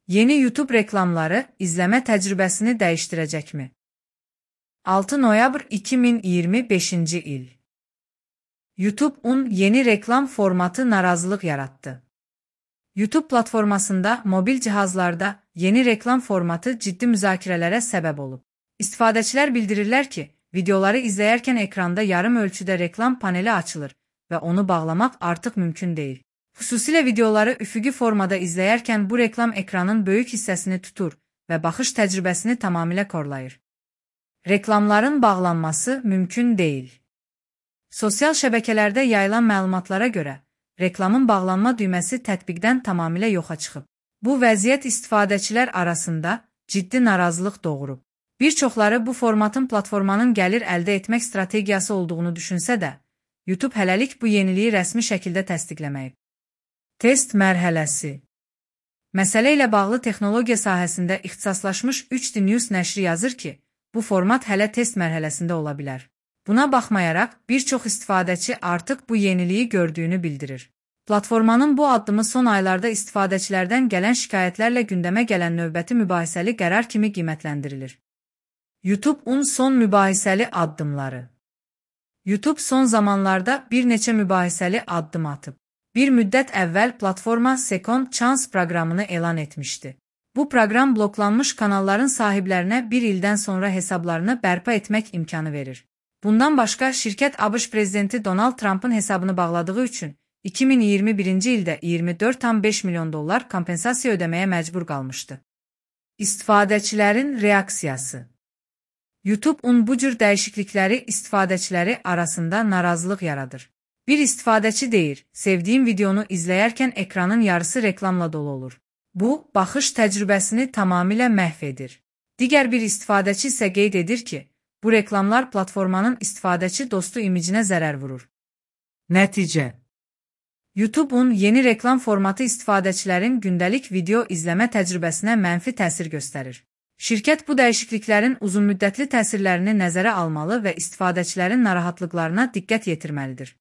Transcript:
Yeni YouTube reklamları izleme təcrübəsini dəyişdirəcəkmi? 6 noyabr 2025-ci il. YouTube-un yeni reklam formatı narazılıq yaratdı. YouTube platformasında mobil cihazlarda yeni reklam formatı ciddi müzakirələrə səbəb olub. İstifadəçilər bildirirlər ki, videoları izləyərkən ekranda yarım ölçüdə reklam paneli açılır və onu bağlamaq artıq mümkün deyil. Xüsusilə videoları üfüqi formada izləyərkən bu reklam ekranın böyük hissəsini tutur və baxış təcrübəsini tamamilə korlayır. Reklamların bağlanması mümkün deyil. Sosial şəbəkələrdə yayılan məlumatlara görə, reklamın bağlanma düyməsi tətbiqdən tamamilə yoxa çıxıb. Bu vəziyyət istifadəçilər arasında ciddi narazılıq doğurub. Bir çoxları bu formatın platformanın gəlir əldə etmək strategiyası olduğunu düşünsə də, YouTube hələlik bu yeniliyi rəsmi şəkildə təsdiqləməyib. Test mərhələsi. Məsələ ilə bağlı texnologiya sahəsində ixtisaslaşmış 3D News nəşri yazır ki, bu format hələ test mərhələsində ola bilər. Buna baxmayaraq, bir çox istifadəçi artıq bu yeniliyi gördüyünü bildirir. Platformanın bu addımı son aylarda istifadəçilərdən gələn şikayətlərlə gündəmə gələn növbəti mübahisəli qərar kimi qiymətləndirilir. YouTube-un son mübahisəli addımları. YouTube son zamanlarda bir neçə mübahisəli addım atıb. Bir müddət əvvəl platforma Second Chance proqramını elan etmişdi. Bu proqram bloklanmış kanalların sahiblərinə bir ildən sonra hesablarını bərpa etmək imkanı verir. Bundan başqa, şirkət ABŞ prezidenti Donald Trump'ın hesabını bağladığı üçün 2021-ci ildə $24,5 milyon kompensasiya ödəməyə məcbur qalmışdı. İstifadəçilərin reaksiyası. YouTube-un bu cür dəyişiklikləri istifadəçiləri arasında narazılıq yaradır. Bir istifadəçi deyir, sevdiyim videonu izləyərkən ekranın yarısı reklamla dolu olur. Bu, baxış təcrübəsini tamamilə məhv edir. Digər bir istifadəçi isə qeyd edir ki, bu reklamlar platformanın istifadəçi dostu imicinə zərər vurur. Nəticə. YouTube-un yeni reklam formatı istifadəçilərin gündəlik video izləmə təcrübəsinə mənfi təsir göstərir. Şirkət bu dəyişikliklərin uzunmüddətli təsirlərini nəzərə almalı və istifadəçilərin narahatlıqlarına diqqət yetirməlidir.